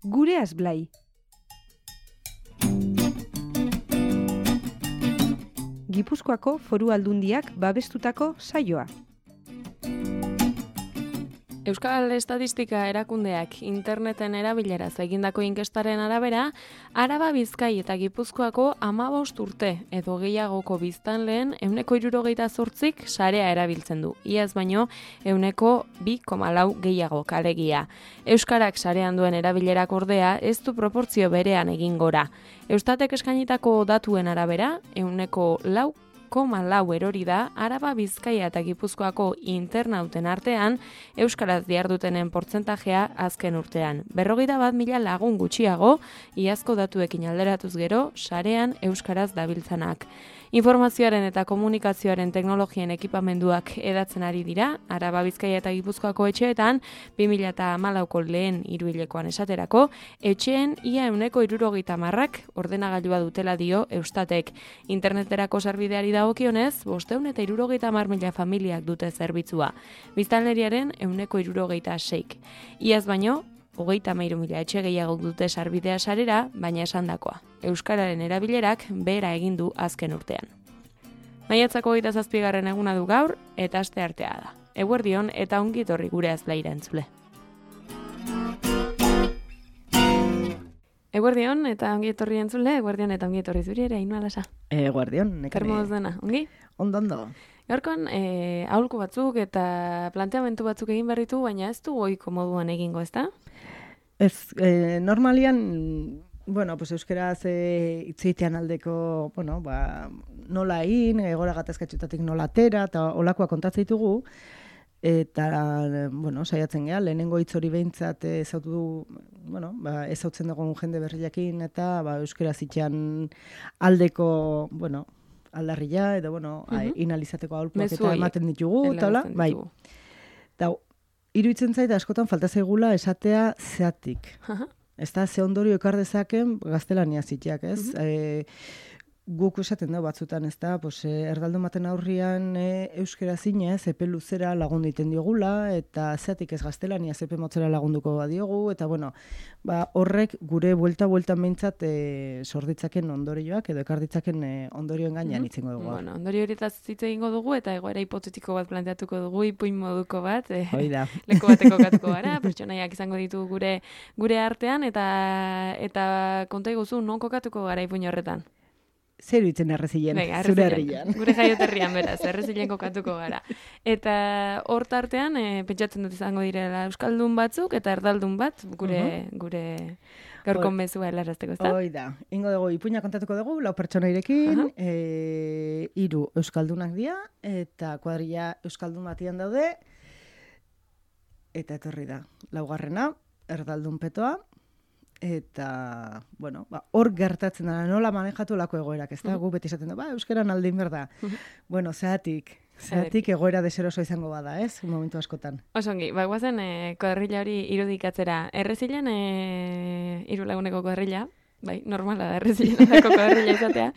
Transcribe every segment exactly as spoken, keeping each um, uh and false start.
Gureaz Blai. Gipuzkoako Foru Aldundiak babestutako saioa. Euskal Estatistika Erakundeak interneten erabileraz egindako inkestaren arabera, Araba, Bizkai eta Gipuzkoako hamabost urte edo gehiagoko biztanleen ehuneko hirurogeita zortzik sarea erabiltzen du. Iaz baino ehuneko bi koma lau gehiago alegia. Euskarak sarean duen erabilerak ordea ez du proportzio berean egin gora. Eustatek eskainitako datuen arabera, ehuneko lau koma lau erori da Araba, Bizkaia eta Gipuzkoako internauten artean euskaraz dihardutenen portzentajea azken urtean. Berrogeita bat mila lagun gutxiago, iazko datuekin alderatuz gero, sarean euskaraz dabiltzanak. Informazioaren eta komunikazioaren teknologien ekipamenduak edatzen ari dira, Araba, Bizkaia eta Gipuzkoako etxeetan, bi mila hamalauko lehen hiruhilekoan esaterako, etxeen ia ehuneko hirurogeita hamarrak ordenagailua dutela dio Eustatek. Interneterako sarbideari dagokionez, bostehun eta hirurogeita hamar mila familiak dute zerbitzua. Biztanleriaren ehuneko hirurogeita seik. Iaz baino, hogeita hamairu mila etxe gehiago dute sarbidea sarera, baina esandakoa. Euskararen erabilerak behera egin du azken urtean. Maiatzako hogeita zazpigarren eguna du gaur, eta aste artea da. Eguerdion eta ongi etorri Gureaz Blaira entzule. Eguerdion eta ongi etorri entzule, eguerdion eta ongi etorri zuri ere, Ainhoa Lasa. Eguerdion, nekane. Kermoz dena, ongi? Ondo, ondo. Gaurkoan, e, aholku batzuk eta planteamendu batzuk egin berritu, baina ez du ohiko moduan egingo, ezta? Ez, eh, normalian, bueno, pues euskeraz eh, itzeitean aldeko, bueno, ba, nola egin, egora gatazkatxutatik nola atera, eta olakoa kontatzen ditugu, eta, bueno, saiatzen geha, lehenengo hitz hori behintzat ezautu du, bueno, ba, ezautzen dugun jende berriakin, eta ba, euskeraz itxean aldeko, bueno, aldarria, edo, bueno, uh-huh. inalizateko aholkuak eta ematen ditugu, eta hola, bai. Eta, iruditzen zait askotan falta zaigula esatea zeatik. Uh-huh. Ez da, ze ondorio ekar dezaken gaztelania zitiak, ez? Uh-huh. E, guk esaten da batzutan, ez da, pues, erdaldun baten aurrian e, euskera zinez, epe luzera lagundu iten diogula, eta zeatik ez gaztelania epe motzera lagunduko badiogu, eta bueno, ba, horrek gure buelta-buelta meintzat e, sorditzaken ondorioak, edo ekar ditzaken e, ondorioen gainean mm-hmm. itzengo dugu. Bueno, ondorio horietaz hitz egingo dugu, eta egoera hipotetiko bat planteatuko dugu, ipuin moduko bat, e, leku bateko katuko gara, pertsonaiak izango ditu gure gure artean, eta eta konta iguzu, non kokatuko gara ipuin horretan? Zer ditzen errezilen, zure herrian. Gure jaioterrian, beraz, errezilen kokatuko gara. Eta hor tartean, e, pentsatzen dut izango direla euskaldun batzuk, eta erdaldun bat, gure, uh-huh. gure gaurko mezua helarazteko, ez da? Hoi da. Ingo dugu, ipuina kontatuko dugu, lau pertsonairekin, uh-huh. e, hiru euskaldunak dira, eta kuadrilla euskaldun batian daude, eta etorri da. Laugarrena, erdaldun petoa, eta, bueno, ba, hor gertatzen da, nola manejatu lako egoerak, ez da, uh-huh. gu beti esaten da, ba, euskeran aldein berda. Uh-huh. Bueno, zeatik, zeatik egoera deseroso izango bada, ez, momentu askotan. Osongi, ba, guazen, e, kuadrilla hori irudikatzera. Errezilen, e, hiru laguneko kuadrilla, bai, normala da errezilenako kuadrilla izatea.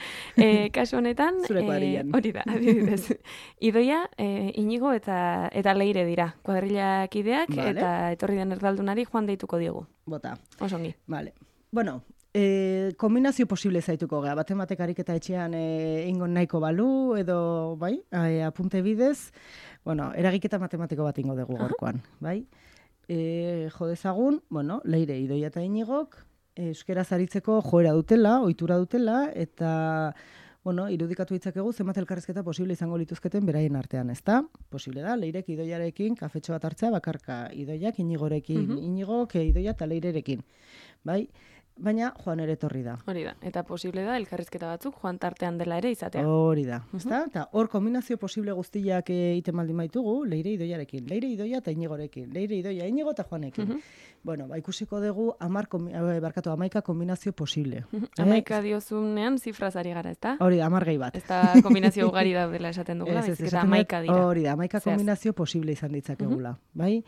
E, kasu honetan, zure kuadrillan. E, hori da, adibidez. Idoia, e, Inigo eta eta Leire dira, kuadrillak ideak, vale. Eta etorri den erdaldunari joan deituko diogu. Bota. Osongi. Vale. Bueno, eh, kombinazio posible zaituko gara. Batematek ariketa etxean eh, ingo nahiko balu, edo, bai, eh, apunte bidez, bueno, eragiketa matematiko bat ingo dugu gorkoan, bai? Eh, jo dezagun, bueno, Leire, Idoia eta Inigok, euskeraz aritzeko joera dutela, ohitura dutela, eta, bueno, irudikatu ditzakegu zenbat elkarrizketa posible izango lituzketen beraien artean, ezta? Posible da, Leirek Idoiarekin kafetxo bat hartzea bakarka, Idoiak Inigorekin, uh-huh. Inigok Idoia eta Leirerekin, bai? Baina joan ere etorri da. Hori da, eta posible da elkarrizketa batzuk joan tartean dela ere izatea. Hori da, uh-huh. ezta? Eta hor kombinazio posible guztiak egiten baldin baitugu, Leire Idoiarekin, Leire Idoia eta Inigorekin, Leire Idoia Inigo eta Juanekin. Uh-huh. Bueno, ba, ikusiko dugu amar, barkatu, amaika kombinazio posible. Uh-huh. Amaika eh? diozunean zifrazari gara, ezta? Hori da, amar gehi bat. Ez da kombinazio ugari daudela esaten dugula, ez, ez, ez, amaika dira. Hori da, amaika kombinazio posible izan ditzakegula, uh-huh. bai?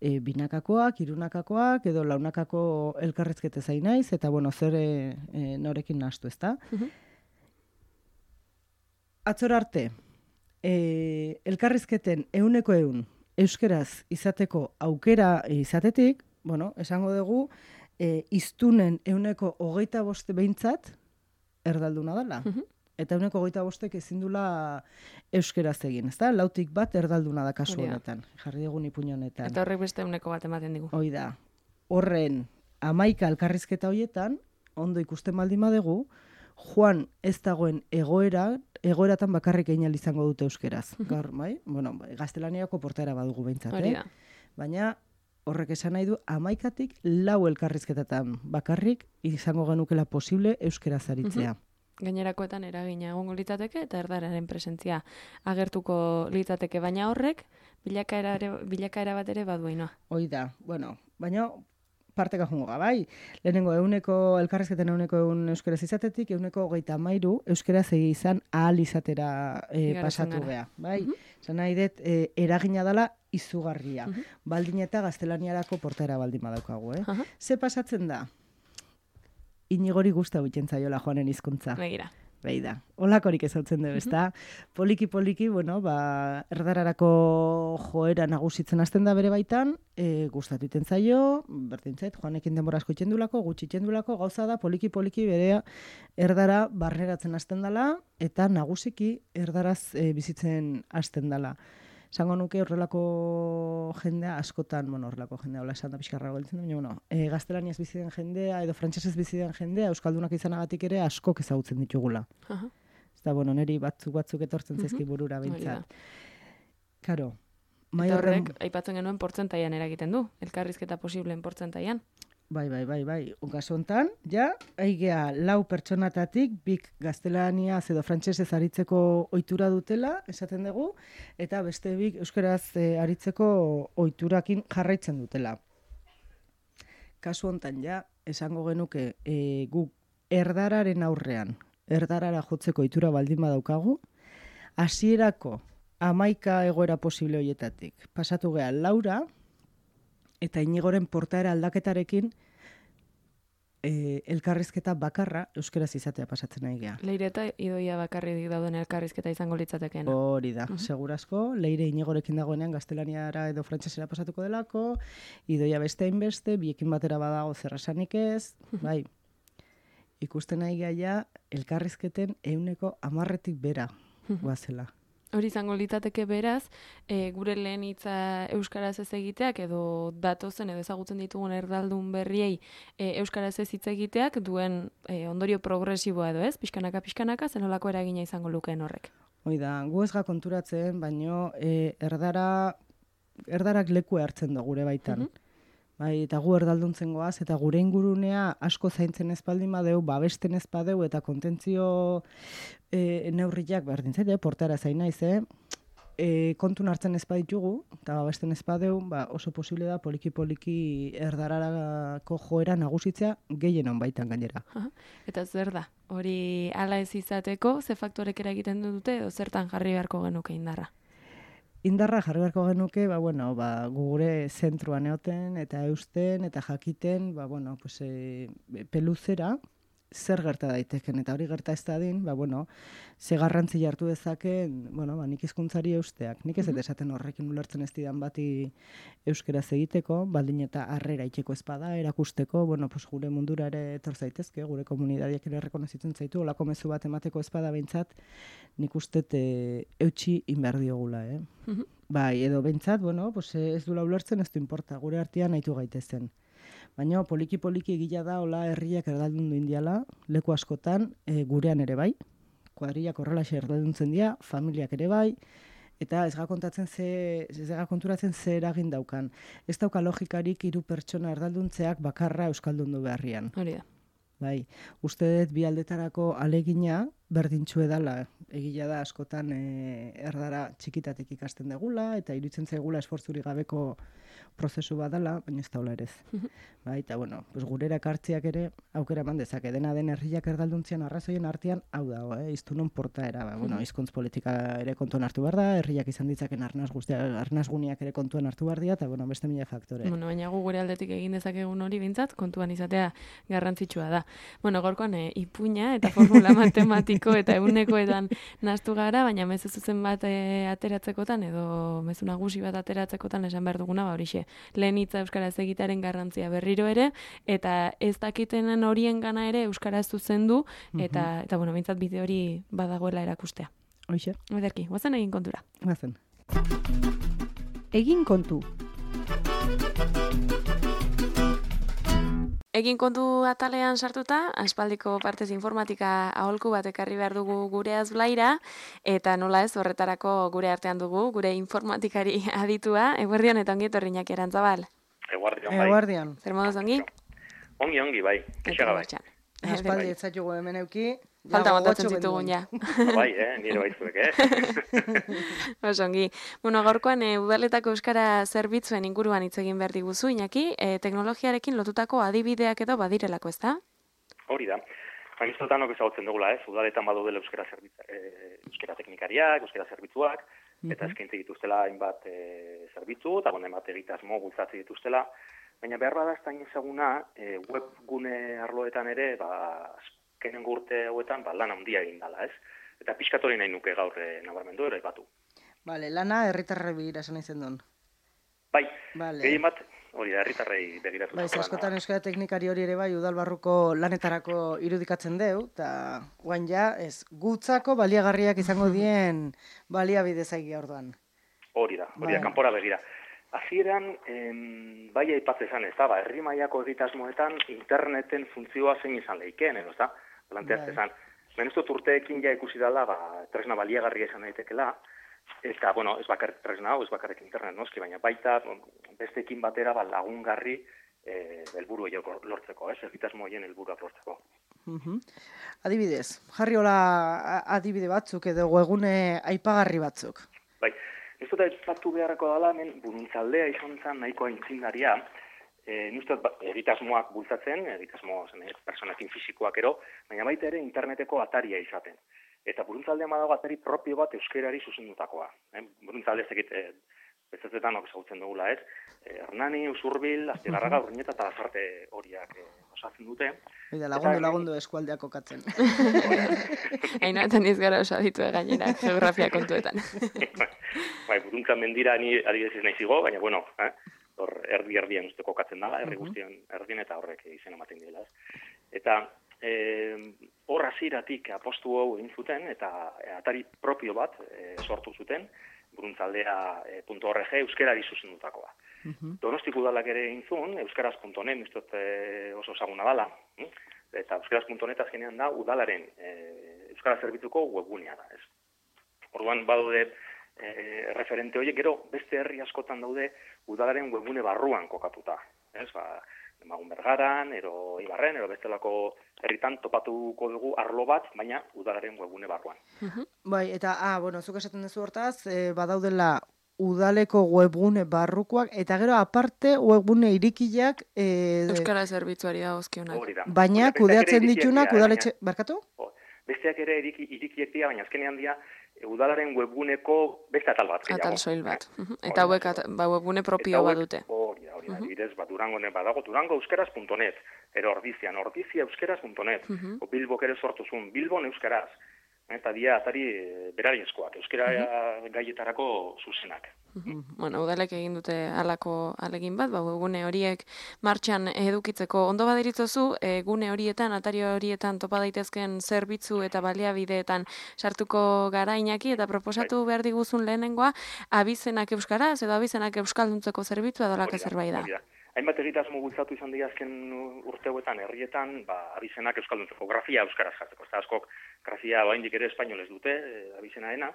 E, binakakoak, irunakakoak, edo launakako elkarrezkete zain naiz, eta bueno, zer e, e, norekin nahastu, ezta? Uh-huh. Atzor arte, e, elkarrizketen ehuneko ehun euskeraz izateko aukera izatetik, bueno, esango dugu, e, iztunen euneko hogeita boste behintzat erdalduna dela. Mhm. Eta euneko hogeita bostek ezin dula euskeraz egin, ezta? Lautik bat erdalduna da kasu Hori da. honetan, jarri dugun ipuin honetan. Eta horrek beste euneko bat ematen digu. Hoi da, horren hamaika elkarrizketa hoietan, ondo ikusten baldin badegu, joan ez dagoen egoera, egoeratan bakarrik egin ahal izango dute euskeraz. Gaur, bai? Bueno, gaztelaniako portaera badugu behintzat, Hori eh? da. Baina horrek esan nahi du hamaikatik lau elkarrizketatan bakarrik izango genukela posible euskeraz aritzea. Gainerakoetan eragina egongo litzateke eta erdararen presentzia agertuko litzateke, baina horrek bilakaera, ere, bilakaera bat ere baduainoa. Hoi da, bueno, baina parteka jungo ga, bai. Lehenengo euneko, elkarrezketen euneko eun euskeraz izatetik, euneko hogeita mairu euskeraz egi izan ahal izatera e, Igarotzen pasatu gara. gea, bai. Mhm. Zan nahi dut, e, eragina dela izugarria. Mhm. Baldin eta gaztelaniarako portaera baldin badaukagu, eh? Aha. Ze pasatzen da? Inigori guzta biten zaiola joanen hizkuntza. Begira. Bai da. Olakorik ezautzen dugu, ezta? Poliki poliki, bueno, ba, erdararako joera nagusitzen hasten da bere baitan, e, gustatu iten zaio, berdin zait, joanekin denbora asko itxendulako, gutxi itxendulako, gauza da, poliki poliki berea erdara barneratzen hasten dela, eta nagusiki erdaraz e, bizitzen hasten dela. Zango nuke horrelako jendea askotan, bueno, horrelako jendea, hola esan da pixkarra gelditzen da, baina, bueno, e, gaztelaniaz bizi den jendea, edo frantsesez bizi den jendea, euskaldunak izanagatik ere askok ezagutzen ditugula. Aha. Eta, bueno, niri batzuk batzuk etortzen Mhm. zaizki burura Hori da. behintzat. Karo, Eta mai horren... horrek, aipatzen genuen portzentaian eragiten du, elkarrizketa posibleen portzentaian. Bai, bai, bai, bai. Kasu hontan, ja, aigea lau pertsonatatik bik gaztelaniaz edo frantsesez aritzeko ohitura dutela, esaten dugu, eta beste bik euskaraz e, aritzeko ohiturakin jarraitzen dutela. Kasu hontan, ja, esango genuke e, guk erdararen aurrean, erdarara jotzeko ohitura baldin badaukagu, hasierako hamaika egoera posible hoietatik. Pasatu gea laura, eta Inigoren portaera aldaketarekin e, elkarrizketa bakarra euskeraz izatea pasatzen nahi gea. Leire eta idoia bakarrik dauden elkarrizketa izango litzatekeen. Hori da, segurazko, Leire Inigorekin dagoenean gaztelaniara edo frantsesera pasatuko delako, idoia beste hainbeste, biekin batera badago zerrasanik ez, bai. Ikusten nahi gea ja elkarrizketen euneko hamarretik bera guazela. Hori izango litzateke beraz, e, gure lehen hitza euskaraz ez egiteak edo datozen edo ezagutzen ditugun erdaldun berriei e, euskaraz ez hitz egiteak duen e, ondorio progresiboa edo ez, pixkanaka pixkanaka zenolako eragina izango lukeen horrek. Hoi da, gu ez ga konturatzen, baino e, erdara, erdarak leku hartzen du gure baitan. Bai, eta gu erdalduntzen goaz, eta gure ingurunea asko zaintzen ezpaldin badeu, babesten ez badeu, eta kontentzio e, neurriak berdin zait, eh, portara zain naiz, eh? E, kontun hartzen ez baditugu, eta babesten ez badeu, ba, oso posible da poliki-poliki erdararako joera nagusitzea gehienon baitan gainera. Aha. Eta zer da, hori hala ez izateko, ze faktorek eragiten dute edo zertan jarri beharko genuke indarra? Indarra jarri beharko genuke, ba, bueno, ba, gure zentruan eoten, eta eusten, eta jakiten, ba, bueno, pues, e, peluzera, zer gerta daiteken, eta hori gerta ez dadin, ba, bueno, ze garrantzi jartu dezaken, bueno, ba, nik hizkuntzari eusteak. Nik ez dut esaten horrekin ulertzen ez didan bati euskeraz egiteko, baldin eta harrera itxeko espada, erakusteko, bueno, pues, gure mundura ere etor zaitezke, gure komunidadiak ere rekonozitzen zaitu, olako mezu bat emateko espada behintzat, nik uste e, eutxi inbehar diogula, eh? Bai, edo behintzat, bueno, pues, ez dula ulertzen, ez du importa, gure artean nahitu gaitezen. Baina poliki-poliki egila da, hola herriak erdaldundu indiala, leku askotan, e, gurean ere bai, kuadriak horrelaxe erdalduntzen dira, familiak ere bai, eta ez ga kontatzen ze, ez ga konturatzen ze eragin daukan. Ez dauka logikarik hiru pertsona erdalduntzeak bakarra euskaldundu beharrian. Hori da. Bai, uste dut bi aldetarako alegina berdintxu edala, egila da askotan e, erdara txikitatik ikasten degula, eta iruditzen zaigula esfortzuri gabeko prozesu badala, baina ez daula ere ez. Bai, eta bueno, pues gurera ekartziak ere aukera eman dezake, dena den herriak erdaluntzian arrazoien artean hau dago, eh? Iztunon portaera, ba, bueno, hizkuntz politika ere kontuan hartu behar da, herriak izan ditzaken arnaz guztia, arnazguniak ere kontuan hartu behar dira, eta bueno, beste mila faktore. Bueno, baina gu gure aldetik egin dezakegun hori bintzat, kontuan izatea garrantzitsua da. Bueno, gorkoan e, ipuina eta formula matematiko automatiko eta egunekoetan nahastu gara, baina mezu zuzen bat e, ateratzekotan edo mezu nagusi bat ateratzekotan esan behar duguna, ba horixe, lehen hitza euskaraz egitearen garrantzia berriro ere, eta ez dakitenen horien gana ere euskaraz zuzendu, eta, eta bueno, bintzat bide hori badagoela erakustea. Hoxe. Ederki, guazen egin kontura. Guazen. Egin kontu. Egin kontu atalean sartuta, aspaldiko partez informatika aholku bat ekarri behar dugu gure azblaira, eta nola ez horretarako gure artean dugu, gure informatikari aditua, eguerdion eta ongi etorri Iñaki Arantzabal. Eguardion, bai. Eguardion. Zer moduz ongi? Ongi, ongi, bai. Kexaga, bai. Aspaldi ez zaitu hemen euki. Falta montatzen zitugun, ja. Bai, eh, nire baizuek, eh? Osongi. Bueno, gaurkoan e, udaletako euskara zerbitzuen inguruan hitz egin behar diguzu, Iñaki, e, teknologiarekin lotutako adibideak edo badirelako, ez da? Hori da. Baina iztotan nok ezagutzen dugula, ez? Udaletan badaudela euskara zerbitza, e, euskara teknikariak, euskara zerbitzuak, eta eskaintze dituztela hainbat e, zerbitzu, eta gona hainbat egitasmo bultzatze dituztela, baina behar bada ez da ezaguna e, webgune arloetan ere, ba, azkenengo urte hauetan, ba, lan handia egin dala, ez? Eta pixkatori nahi nuke gaur e, nabarmendu ere batu. Vale, lana herritarre begira esan izen duen. Bai, vale. Gehien bat, hori da, herritarrei begiratu. Bai, askotan euskara teknikari hori ere bai, udalbarruko lanetarako irudikatzen deu, eta guain ja, ez, gutzako baliagarriak izango dien baliabide zaigia orduan. Hori da, hori da, Bai. kanpora begira. Hasieran, em, bai aipatze izan, ez da, ba, herri mailako egitasmoetan interneten funtzioa zein izan leikeen, edo, ez da, planteatze Bai. izan. Ben ez dut urteekin ja ikusi dela, ba, tresna baliagarria izan daitekela, eta, bueno, ez bakarrik tresna hau, ez bakarrik internet noski, baina baita besteekin batera ba, lagungarri e, helburu horiek lortzeko, ez, egitasmo horien helburuak lortzeko. Mhm. Adibidez, jarri hola a- adibide batzuk edo webgune aipagarri batzuk. Bai, ez dut aipatu beharreko dela, hemen buruntzaldea izan zen nahiko aintzindaria, e, nuztot ba, egitasmoak bultzatzen, egitasmo zen, personakin fisikoak ero, baina baita ere interneteko ataria izaten. Eta buruntzaldean badago atari propio bat euskerari zuzendutakoa. Eh? Buruntzalde ez egit, eh, bezazetan ok ezagutzen dugula, ez? Eh, Hernani, Usurbil, Astigarraga, Urnieta eta Lasarte horiak eh, osatzen dute. Eta lagundu, lagundu eskualdeak kokatzen. Hainatan iz gara osaditu gainera, geografia kontuetan. Bai, buruntza mendira ni adibidez ez naiz igo, baina bueno, eh? hor erdi-erdian uste kokatzen dala, herri guztien erdien eta horrek izen ematen dira. Eta eh, hor hasieratik apostu hau egin zuten, eta atari propio bat eh, sortu zuten, buruntzaldea eh, .org euskerari zuzendutakoa. Donostik udalak ere egin zuen, euskaraz punto net, uste dut eh, oso ezaguna dala, hm? eta euskaraz punto net azkenean da udalaren eh, euskara zerbitzuko webgunea da, ez? Orduan badaude e, referente horiek, gero beste herri askotan daude udalaren webgune barruan kokatuta. Ez, ba, Magun Bergaran, ero Ibarren, ero bestelako herritan topatuko dugu arlo bat, baina udalaren webgune barruan. Bai, eta, ah, bueno, zuk esaten duzu hortaz, eh, badaudela udaleko webgune barrukoak, eta gero aparte webgune irikiak, eh, Euskara zerbitzuari dagozkionak. Hori da. baina Hori da, kudeatzen besteak ere ditunak irikiak dira, udaletxe, barkatu? baina- Besteak ere iriki, irikiek dira, baina azkenean dira e, udalaren webguneko beste atal bat. gehiago. Atal soil bat. Eh? Mhm. Eta hauek at- ba, webgune propio Eta hauek- badute. Hori da, hori da, adibidez, ba, Durango badago, durango euskeraz punto net, ero ordizian, ordizia euskeraz punto net, o Bilbok ere sortu zuen, Bilbon euskaraz, eta dia atari e, berariezkoak, euskera gaietarako zuzenak. Bueno, udalek egin dute halako alegin bat, ba, gune horiek martxan edukitzeko ondo baderitzozu, e, gune horietan, atari horietan topa daitezken zerbitzu eta baliabideetan sartuko gara Iñaki, eta proposatu behar diguzun lehenengoa, abizenak euskaraz edo abizenak euskalduntzeko zerbitzua dolaka zerbait da. Hori da. Hainbat egitasmo bultzatu izan dira azken urteoetan herrietan, ba, abizenak euskalduntzeko, grafia euskaraz jartzeko. Eta askok grafia oraindik ere espainolez dute, e, abizenaena,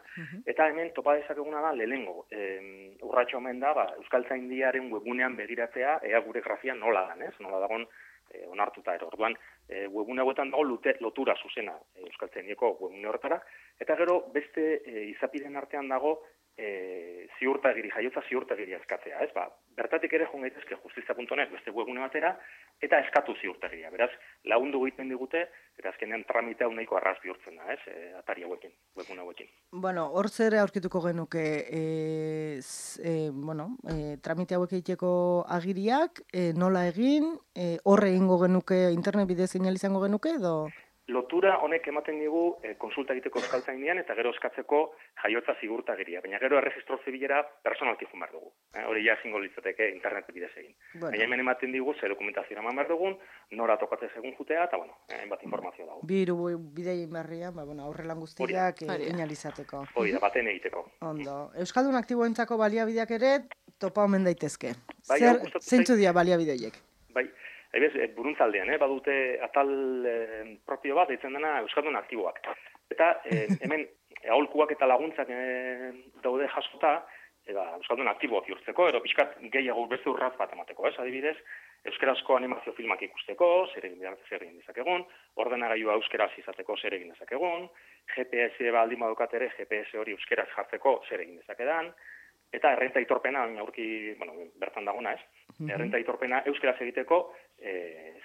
eta hemen topa dezakeguna da lehenengo. E, urratxo omen da, ba, Euskaltzaindiaren webgunean begiratzea, ea gure grafia nola dan, ez? Nola dagon e, onartuta ero. Orduan, e, webgune hauetan dago lute, lotura zuzena e, Euskaltzaindieko webgune horretara, eta gero beste e, izapiden artean dago E, ziurtagiri, jaiotza ziurtagiri eskatzea, ez? Ba, bertatik ere joan gaitezke justizia punto net beste webgune batera, eta eskatu ziurtagiria. Beraz, lagundu egiten digute, eta azkenean tramitea nahiko arraz bihurtzen da, ez? E, atari hauekin, webgune hauekin. Bueno, hor zer aurkituko genuke, e, z, e, bueno, e, tramite hauek egiteko agiriak, e, nola egin, e, horre egingo genuke, internet bidez seinal izango genuke, edo? lotura honek ematen digu e, konsulta egiteko euskaltzainean eta gero eskatzeko jaiotza zigurtagiria. Baina gero erregistro zibilera personalki joan behar dugu. Eh, hori ja ezingo litzateke internet bidez egin. Bueno. Baina hemen ematen digu zer dokumentazioa eman behar dugun, nora tokatzen segun jutea, eta bueno, hainbat informazio dago. Biru bidei barrian, ba, bueno, aurrelan guztiak inalizateko. Hori da, baten egiteko. Ondo. Euskaldun aktiboentzako baliabideak ere topa omen daitezke. Bai, zer, zeintzu dira baliabideoiek? Bai, Ebez, buruntzaldean, eh, badute atal eh, propio bat, deitzen dena Euskaldun aktiboak. Eta eh, hemen aholkuak eta laguntzak eh, daude jasota, eta Euskaldun aktiboak jurtzeko, ero pixkat gehiago beste urratz bat emateko, ez? Adibidez, euskarazko animazio filmak ikusteko, zer egin, zer egin dezakegun, ordenagailua euskeraz izateko zer egin dezakegun, G P S baldin badukat ere, G P S hori euskeraz jartzeko zer egin dezakedan, eta errenta aitorpena, aurki, bueno, bertan dagona, ez? Mm-hmm. Errenta aitorpena euskeraz egiteko e,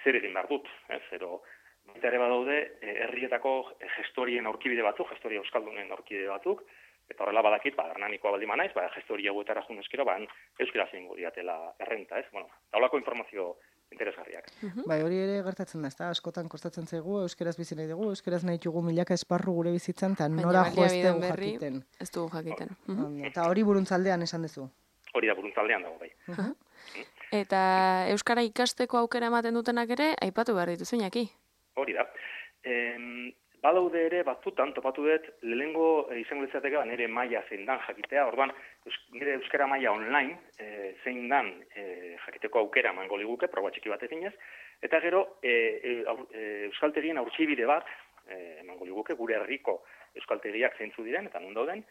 zer egin behar dut, ez? Zero, baita ere badaude, e, herrietako gestorien aurkibide batzuk, gestoria euskaldunen aurkibide batzuk, eta horrela badakit, ba, hernanikoa baldin manaiz, ba, gestoria hauetara jun eskero, ba, euskeraz egingo diatela errenta, ez? Bueno, taulako informazio interesgarriak. Uh-huh. Bai, hori ere gertatzen da, ezta? Askotan kostatzen zaigu, euskeraz bizi nahi dugu, euskeraz nahi dugu milaka esparru gure bizitzan, eta nora jo ez dugu jakiten. Ez dugu jakiten. Uh-huh. Eta hori buruntzaldean esan duzu? Hori da, buruntzaldean dago, bai. Uh-huh. Uh-huh. Eta euskara ikasteko aukera ematen dutenak ere, aipatu behar dituzu, Iñaki? Hori da. Em, badaude ere batzutan, topatu dut, lehengo e, izango litzateke nire maila zein dan jakitea, orduan, eus, nire euskara maila online e, zein dan e, jakiteko aukera emango liguke, proba txiki bat eginez, eta gero e, e, e, euskaltegien aurtsibide bat e, emango liguke, gure herriko euskaltegiak zeintzu diren, eta non dauden,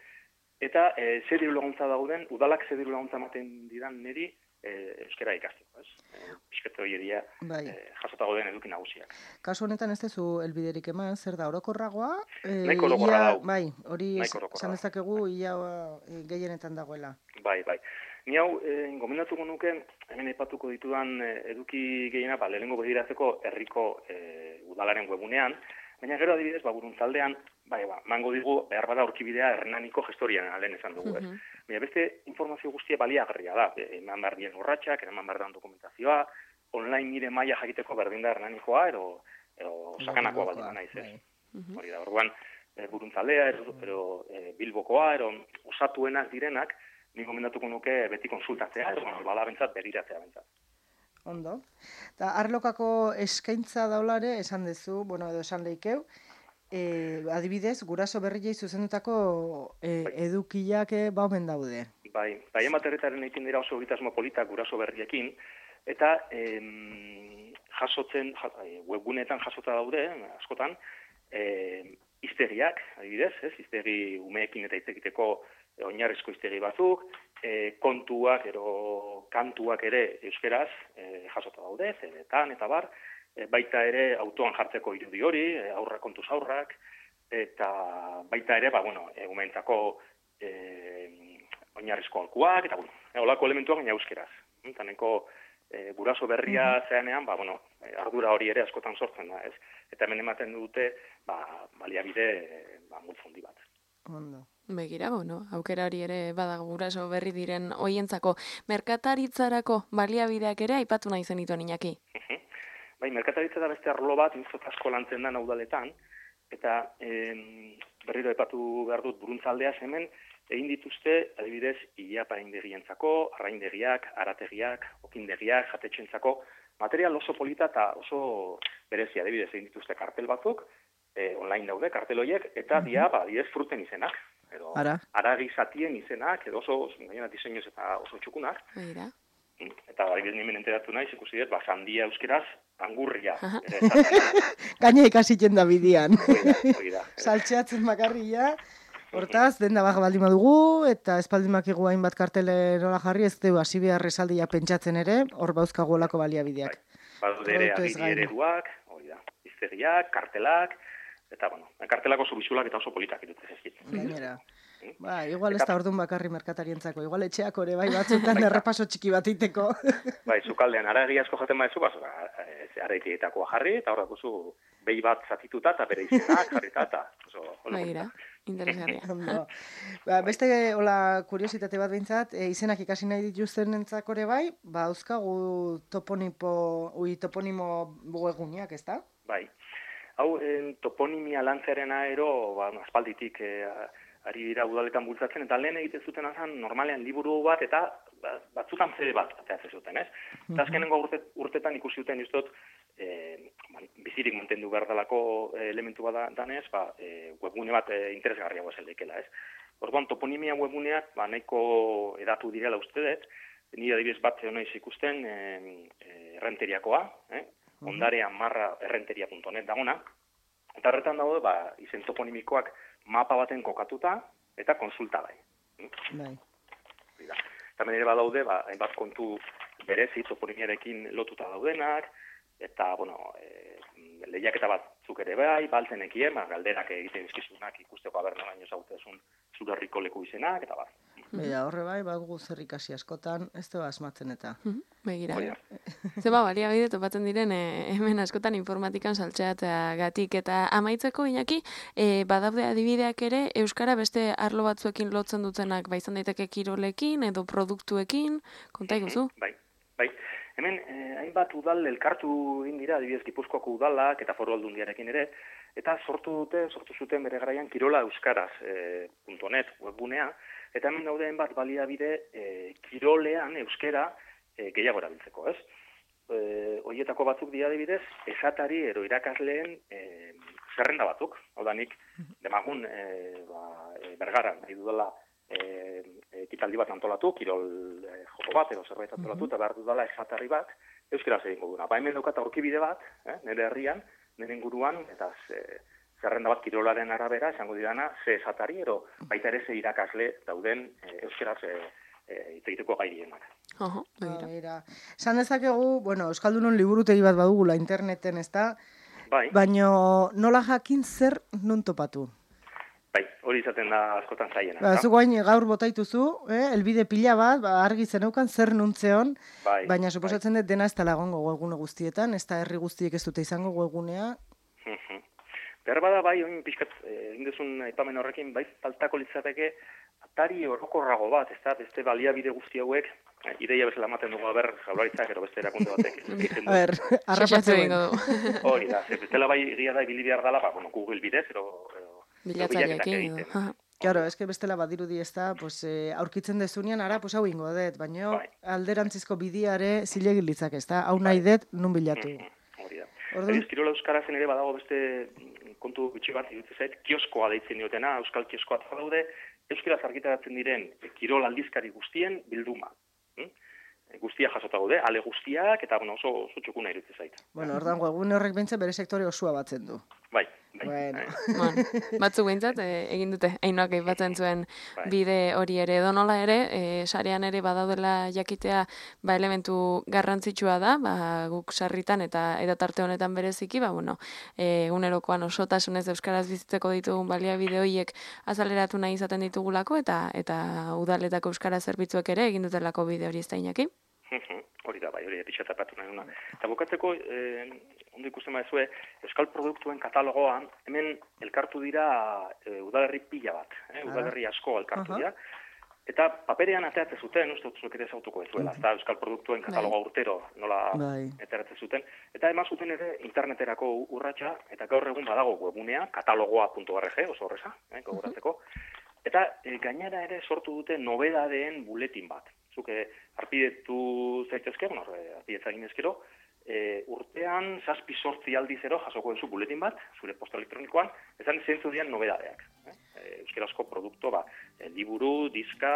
eta e, zer diru laguntza dauden, udalak zer diru laguntza ematen didan niri e, euskara ikasteko, ez? E, Piskete hori eria bai. e, jasotago den eduki nagusiak. Kasu honetan ez dezu elbiderik eman, zer da, orokorragoa? E, Naiko orokorra dau. Bai, hori esan dezakegu ia e, gehienetan dagoela. Bai, bai. Ni hau, e, gomendatuko nuke, hemen aipatuko ditudan e, eduki gehiena, ba, lehenengo begiratzeko herriko e, udalaren webunean, baina gero adibidez, ba, buruntzaldean, bai, ba, mango digu, behar bada aurkibidea Hernaniko gestorian alen esan dugu, ez. Uh-huh. Baina beste informazio guztia baliagarria da, eman behar dien urratxak, eman behar dan dokumentazioa, online nire maila jakiteko berdin da Hernanikoa, ero, ero sakanakoa baldin naiz, ez. Uh-huh. Hori da, orduan, e, buruntzaldea, ero, ero e, bilbokoa, ero osatuenak direnak, ni gomendatuko nuke beti konsultatzea, ero, bueno, bala bentsat, beriratzea bentsat. Ondo. Eta arlokako eskaintza daulare, esan dezu, bueno, edo esan lehikeu, e, adibidez, guraso berriei zuzendutako e, bai. edukiak baumen daude. Bai, bai ematerretaren egiten dira oso egitasmo politak guraso berriekin, eta em, jasotzen, webgunetan jasota daude, askotan, em, hiztegiak, adibidez, ez, hiztegi umeekin eta hitz egiteko oinarrizko hiztegi batzuk, e, kontuak, ero kantuak ere euskeraz e, jasota daude, zedetan eta bar, e, baita ere autoan jartzeko irudi hori, e, aurra kontuz aurrak, eta baita ere, ba, bueno, e, umeentzako e, oinarrizko alkuak, eta, bueno, e, olako elementuak gaina euskeraz. Taneko e, guraso berria mm-hmm. zeanean, ba, bueno, ardura hori ere askotan sortzen da, ez? Eta hemen ematen dute, ba, baliabide, ba, multzondi bat. Ondo. Begira, bueno, aukera hori ere badago guraso berri diren hoientzako. Merkataritzarako baliabideak ere aipatu nahi zenituen, Iñaki. Bai, merkataritza da beste arlo bat, inzot asko lantzen da udaletan, eta em, berriro aipatu behar dut buruntzaldeaz hemen, egin dituzte, adibidez, ilapaindegientzako, arraindegiak, arategiak, okindegiak, jatetxentzako, material oso polita eta oso berezia, adibidez, egin dituzte kartel batzuk, e, online daude, kartel horiek, eta mm-hmm. dia, ba, adibidez, fruten izenak. Edo, Ara. Aragi zatien izenak, edo oso, gainera, diseinuz eta oso txukunak. Eira. Eta adibidez nimen enteratu nahi, ikusi dut, ba, sandia euskeraz, angurria. Gaina ikasiten da bidian. Hori da. Saltxeatzen bakarria, hortaz, denda baja baldin badugu, eta espaldin bakigu hainbat kartele nola jarri, ez du hasi behar esaldia pentsatzen ere, hor bauzkagu olako baliabideak. Badude ere agiri ereduak, hori da, hiztegiak, kartelak, eta, bueno, kartelak oso bizulak eta oso politak irutzen ezkit. Gainera. Ba, igual ez da orduan bakarri merkatarientzako, igual etxeak ore bai batzutan errepaso txiki bat iteko. Bai, zukaldean aragi asko jaten baizu, ba, araitietakoa jarri, eta horrek guzu behi bat zatituta eta bere izenak jarrita, eta oso... Baira, interesgarria. Ba, beste, hola, kuriositate bat behintzat, e, izenak ikasi nahi dituzten entzakore bai, ba, euskagu toponipo, ui, toponimo webguneak, ez da? Bai. hau en, toponimia lantzearena ero, ba, aspalditik e, ari dira udaletan bultzatzen, eta lehen egiten zuten azan normalean liburu bat, eta batzutan zede bat ateratzen zuten, ez? Eta azkenengo urte, urtetan ikusi duten iztot, e, bizirik mantendu behar dalako elementu bada danez, ba, e, webgune bat e, interesgarriago ez eldeikela, ez? Orduan, toponimia webguneak, ba, nahiko edatu direla uste dut, nire adibidez bat honaiz ikusten e, e, errenteriakoa, eh? ondarea marra errenteria punto net dagona, eta horretan dago, ba, izen toponimikoak mapa baten kokatuta, eta konsulta bai. Bai. Eta menere badaude, ba, hainbat kontu berezi toponimiarekin lotuta daudenak, eta, bueno, e, lehiaketa batzuk ere bai, baltzenekien, ba, galderak egiten izkizunak ikusteko aberna baino zautezun zure herriko leku izenak, eta bat. Bera, horre bai, badugu zer ikasi askotan, ez da asmatzen eta. Begira. Zeba, balia bide topatzen diren, e, hemen askotan informatikan saltzeateagatik. Eta amaitzeko, Iñaki, e, badaude adibideak ere, Euskara beste arlo batzuekin lotzen dutenak, ba izan daiteke kirolekin edo produktuekin, konta iguzu? Bai, bai. Hemen, eh, hainbat udal elkartu egin dira, adibidez Gipuzkoako udalak eta Foru Aldundiarekin ere, eta sortu dute, sortu zuten bere garaian kirola euskaraz eh, .net webgunea, eta hemen daude hainbat baliabide eh, kirolean euskera eh, gehiago erabiltzeko, ez? Eh, Hoietako batzuk dira adibidez, esatari ero irakasleen eh, zerrenda batzuk, hau da nik, demagun eh, ba, eh, bergaran, nahi dudala, E, ekitaldi bat antolatu, kirol e, joko bat, edo zerbait antolatu, eta behar dudala esatari bat, euskaraz egingo duna. Ba, hemen daukat aurkibide bat, eh, nire herrian, nire inguruan, eta ze, zerrenda bat kirolaren arabera, esango dirana, ze esatari, ero baita ere ze irakasle dauden e, euskaraz e, e, itzaiteko gairienak. Oho, begira. Esan dezakegu, bueno, Euskaldunon liburutegi bat badugula interneten, ez da? Bai. Baina nola jakin zer non topatu? Bai, hori izaten da askotan zaiena. Ba, zu guain gaur botaituzu, eh? elbide pila bat, ba, argi zeneukan zer nuntzeon, bai, baina suposatzen dut dena ez tala egongo webgune guztietan, ez da herri guztiek ez dute izango webgunea. Behar bada bai, oin pixkat, egin duzun aipamen horrekin, bai, faltako litzateke, atari orokorrago bat, ez da, beste baliabide guzti hauek, ideia bezala ematen dugu, aber, jaularitzak, ero beste erakunde batek. A ber, arrapatzen egingo du. Hori da, ze bestela bai egia da, ibili behar dala, ba, bueno, Google bidez, ero... Bilatzaileekin edo. Claro, es que bestela badirudi ez da, pues, eh, aurkitzen dezunean, ara, pues, hau ingo dut, baina bai. alderantzizko bidiare zilegin litzak ez da, hau nahi dut, nun bilatu. Hori da. Orduan... Kirola euskarazen ere badago beste kontu bitxi bat, iruditzen zait, kioskoa deitzen diotena, euskal kioskoa daude, euskaraz argitaratzen diren kirol aldizkari guztien bilduma. Hm? Guztia jasota gaude, ale guztiak, eta bueno, oso, oso txukuna iruditzen zait. Bueno, ordan webgune horrek bentsa bere sektore osoa batzen du. Bai. Bai. Bueno. Bueno, batzuk behintzat, e, egin dute, Ainoak aipatzen zuen bai. bide hori ere. Donola ere, e, sarean ere badaudela jakitea, ba, elementu garrantzitsua da, ba, guk sarritan eta edatarte honetan bereziki, ba, bueno, e, egunerokoan osotasunez euskaraz bizitzeko ditugun baliabide horiek azaleratu nahi izaten ditugulako, eta eta udaletako euskara zerbitzuek ere egin dutelako bide hori ez da, Iñaki? Hori da, bai, hori epitxatapatu nahi duna. Eta bukatzeko, eh, ondo ikusten baizue, euskal produktuen katalogoan, hemen elkartu dira e, udalerri pila bat, eh? udalerri asko elkartu dira, eta paperean ateatzen zuten, uste dut zuek ere zautuko ezuela, eta euskal produktuen katalogoa urtero nola eteratzen zuten, eta eman zuten ere interneterako urratsa, eta gaur egun badago webunea, katalogoa puntu org, oso horreza, eh, gogoratzeko, eta e, gainera ere sortu dute nobedadeen buletin bat. Zuke arpidetu zaitezke, bueno, arpidetza egin ezkero, e, urtean zazpi sortzi aldizero jasoko duzu buletin bat, zure posta elektronikoan, ezan zentzu dian nobedadeak. Eh? Euskarazko produkto, ba, e, liburu, diska,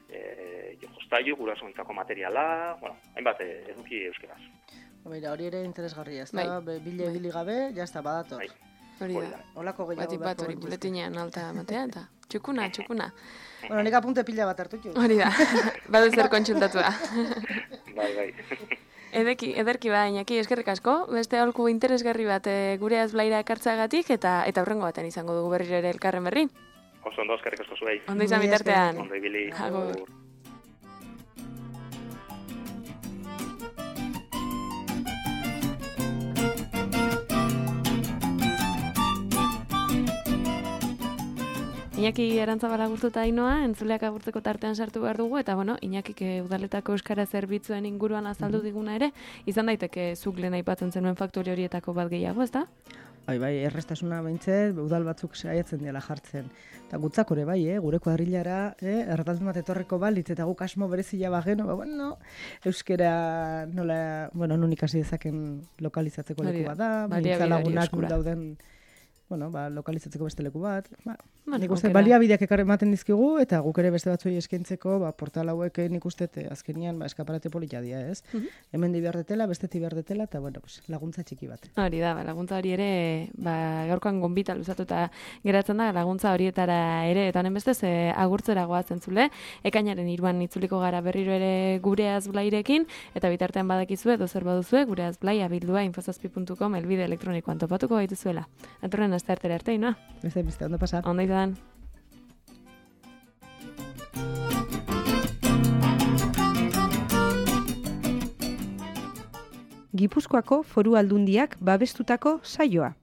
e, jostailu, gurasoentzako materiala, bueno, hainbat e, eduki euskaraz. Mira, hori ere interesgarria, ez da, bai. Bile bili gabe, jazta, badator. Bai. Hori da. Olako gehiago Batik bat hori buletinean alta matea, eta txukuna, txukuna. Bueno, nik apunte pila bat hartu txu. Hori da, badu zer kontsultatu da. Bai, bai. Edeki, ederki ba, Iñaki, eskerrik asko, beste aholku interesgarri bat e, gure azblaira ekartzagatik, eta eta hurrengo baten izango dugu berriro ere elkarren berri. Oso ondo, eskerrik asko zuei. Ondo izan bitartean. Ondo ibili. Agur. Iñaki Arantzabal agurtuta Ainoa, entzuleak agurtzeko tartean sartu behar dugu, eta bueno, Iñakik udaletako euskara zerbitzuen inguruan azaldu diguna ere, izan daiteke zuk lehen aipatzen zenuen faktori horietako bat gehiago, ez da? Bai, bai, errestasuna behintzet, udal batzuk saiatzen dela jartzen. Eta gutzak ere bai, eh? Gure kuadrilara, eh? erdaldun bat etorreko balitz, eta guk asmo berezila bageno, ba, bueno, euskera nola, bueno, nun ikasi dezaken lokalizatzeko leku bat da, mintza lagunak dauden, bueno, ba, lokalizatzeko beste leku bat, ba, Bueno, nik uste aukera. baliabideak ekarri ematen dizkigu, eta guk ere beste batzuei eskaintzeko, ba, portal hauek nik uste azkenian ba, eskaparate polita dira, ez? Mhm. Hemen di behar detela, bestetik behar detela, eta bueno, pues, laguntza txiki bat. Hori da, ba, laguntza hori ere, ba, gaurkoan gonbita luzatuta geratzen da, laguntza horietara ere, eta honen bestez, e, agurtzera goazen zule, ekainaren iruan itzuliko gara berriro ere gure azblairekin, eta bitartean badakizue, dozer baduzue, gure azblai abildua infozazpi puntu com elbide elektronikoan topatuko gaituzuela. Atorren aste artera arte, inoa? Beste, beste, ondo pasa. Ondo izan. Gipuzkoako Foru Aldundiak babestutako saioa.